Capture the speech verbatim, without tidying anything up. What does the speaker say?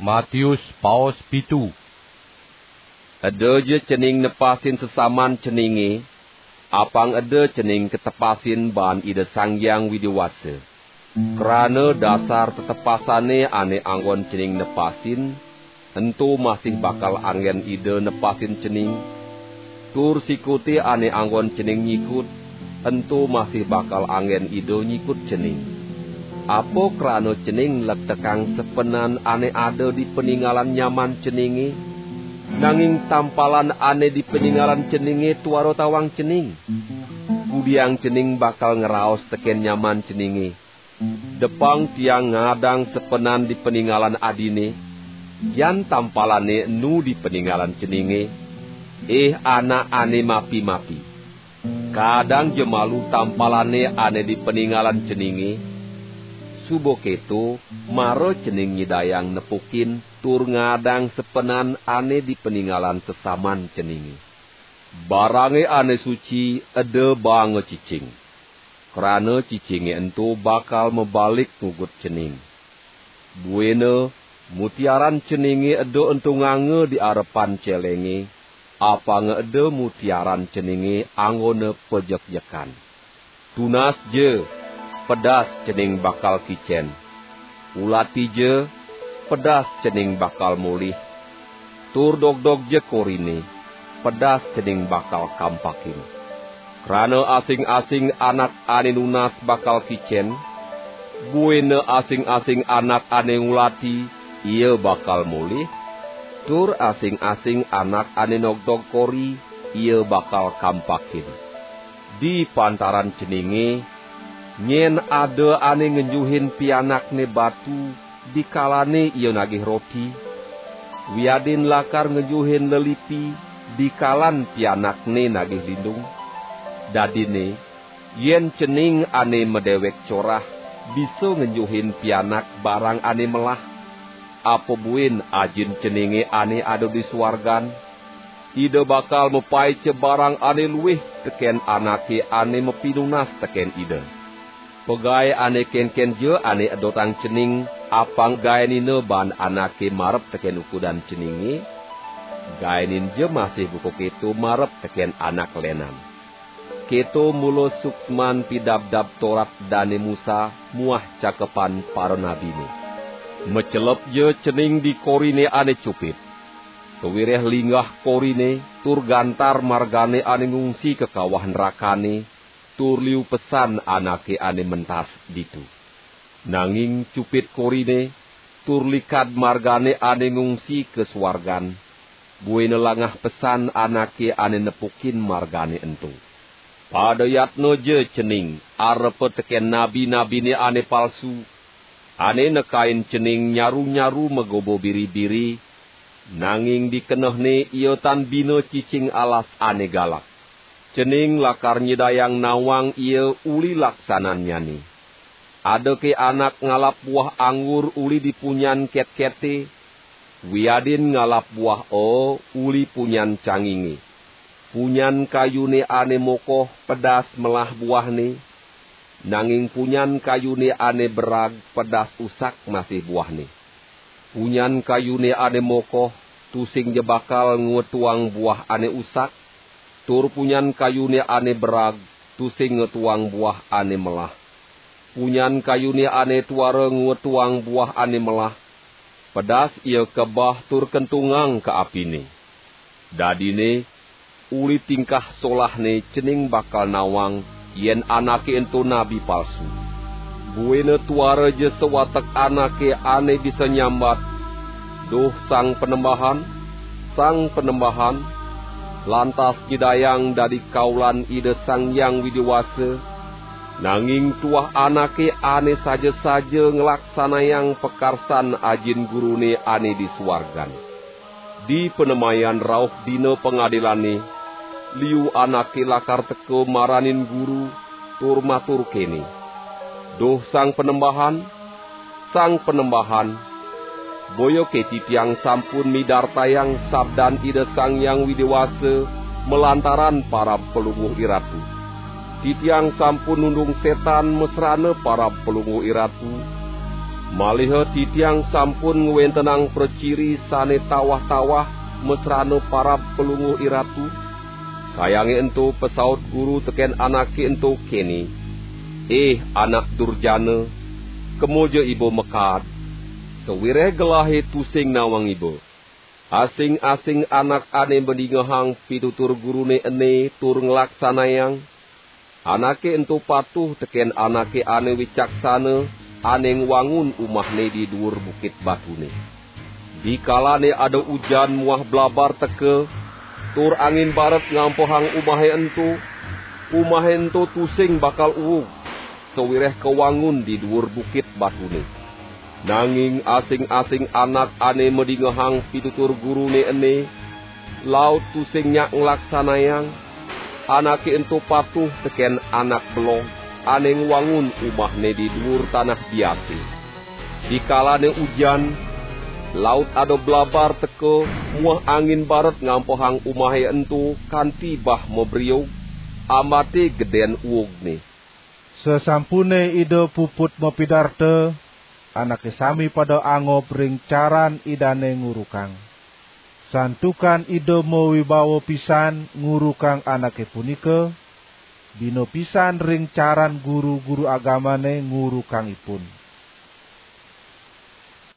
Matius paos pitu. Eda ja cening nepasin sesaman ceninge, apang eda cening ketepasin baan Ida Sang Hyang Widi Wasa. Krana dasar tetepasane ane anggon cening nepasin, ento masih bakal anggen Ida nepasin cening, tur sikute ane anggon cening nyikut, ento masih bakal anggen Ida nyikut cening. Apa krana cening lektekang sepenan ane ada di paningalan nyaman ceninge, nanging tampalan ane di paningalan ceninge tuara tawang cening? Kudiang cening bakal ngraos teken nyaman ceninge, "Depang tiang ngadang sepenan di paningalan adine," yan tampalane enu di paningalan ceninge, "Ih anak ane mapi-mapi." Kadang ja malu tampalane ane di paningalan ceninge, suba keto mara cening nyidayang nepukin tur ngadang sepenan ane di paningalan sesaman ceninge. Barange ane suci eda baanga cicing, krana cicinge ento bakal mabalik ngugut cening. Buina mutiaran ceninge eda entunganga di arepan celenge, apanga eda mutiaran ceninge anggona pajekjekan. Tunas ja, pedas cening bakal kicen. Ulati ja, pedas cening bakal molih. Tur dogdog ja korine, pedas cening bakal kampakin. Krana asing-asing anak ane nunas bakal kicen, buina asing-asing anak ane ngulati, ia bakal molih, tur asing-asing anak ane nogdog kori, ia bakal kampakin. Di pantaran ceninge, nyen ada ane ngenjuhin pianakne batu, dikalane ia nagih roti, wiadin lakar ngenjuhin lelipi, dikalan pianakne nagih lindung? Dadine, yen cening ane madewek corah bisa ngenjuhin pianak barang ane melah, apa buin Ajin ceninge ane ada di suargan? Ida bakal mapaica barang ane luih teken anake ane mapinunas teken Ida. Pagae ane kenken ja ane edotang cening, apang gaenina baan anake marep teken ukudan ceninge, gaenin ja masih buka keto marep teken anak lenan. Keto mula suksman pidabdab Torat Dane Musa muah cakepan paranabine. Macelep ja cening di korine ane cupit. Sawireh linggah korine tur gantar margane ane ngungsi ka kawah nrakane, tur liu pesan anake ane mentas ditu. Nanging cupit korine tur likad margane ane ngungsi ka suargan, buina langah pesan anake ane nepukin margane ento. Pada yatna ja cening arepa teken nabi-nabine ane palsu, ane nekain cening nyaru-nyaru magoba biri-biri, nanging di kenehne ia tan bina cicing alas ane galak. Cening lakar nyidayang nawang ia uli laksanannyane. Adake anak ngalap buah anggur uli di punyan ketkete, wiadin ngalap buah oo uli punyan canginge. Punyan kayune ane mokoh pedas melah buahne, nanging punyan kayune ane berag pedas usak masih buahne. Punyan kayune ane mokoh tusing ja bakal ngwetuang buah ane usak, tur punyan kayune ane berag tusing ngwetuang buah ane melah. Punyan kayune ane tuara ngwetuang buah ane melah, pedas ia kebeh tur kentungang ka apine. Dadine, uli tingkah solahne cening bakal nawang yen anake ento nabi palsu. Buina tuara ja sawatek anake ane bisa nyambat, "Duh Sang Panembahan, Sang Panembahan," lantas nyidayang dadi kaulan Ida Sang Hyang Widi Wasa, nanging tuah anake ane saja-saja nglaksanayang pakarsan ajin Gurune ane di suargan. Di panemayan rauh dina pangadilane, liu anake lakar teka maranin Guru tur matur kene, "Duh Sang Panembahan, Sang Panembahan, boyake titiang sampun midartayang sabdan Ida Sang Hyang Widi Wasa malantaran parab Palungguh Iratu? Titiang sampun nundung setan masrana parab Palungguh Iratu?" Maliha titiang sampun ngwentenang praciri sane tawah-tawah masrana parab Palungguh Iratu. Kayangé ento pasaut guru tekén anaké ento kéné, "Ih anak durjana, kemaja iba makaad, sawireh gelahé tusing nawang iba." Asing-asing anak ané madingehang pitutur guruné ené tur nglaksanayang, anaké ento patuh tekén anaké ané wicaksana ané ngwangun umahné di duur bukit batuné. Dikalané ada ujan muah blabar teka, tur angin baret ngampehang umahé ento, umahé ento tusing bakal uug, sawireh kawangun di duur bukit batuné. Nanging asing-asing anak ané madingehang pitutur guruné ené, laut tusing nyak nglaksanayang, anaké ento patuh tekén anak belog ané ngwangun umahné di duur tanah biasé. Dikalané ujan, laut ada blabar teka muah angin baret ngampehang umahé ento kanti bah mabriug, ambaté gedén uugné. Sasampuné Ida puput mapidarta, anaké sami pada angob ring caran Idané ngurukang. Santukan Ida mawibawa pisan ngurukang anaké punika, bina pisan ring caran guru-guru agamané ngurukang ipun.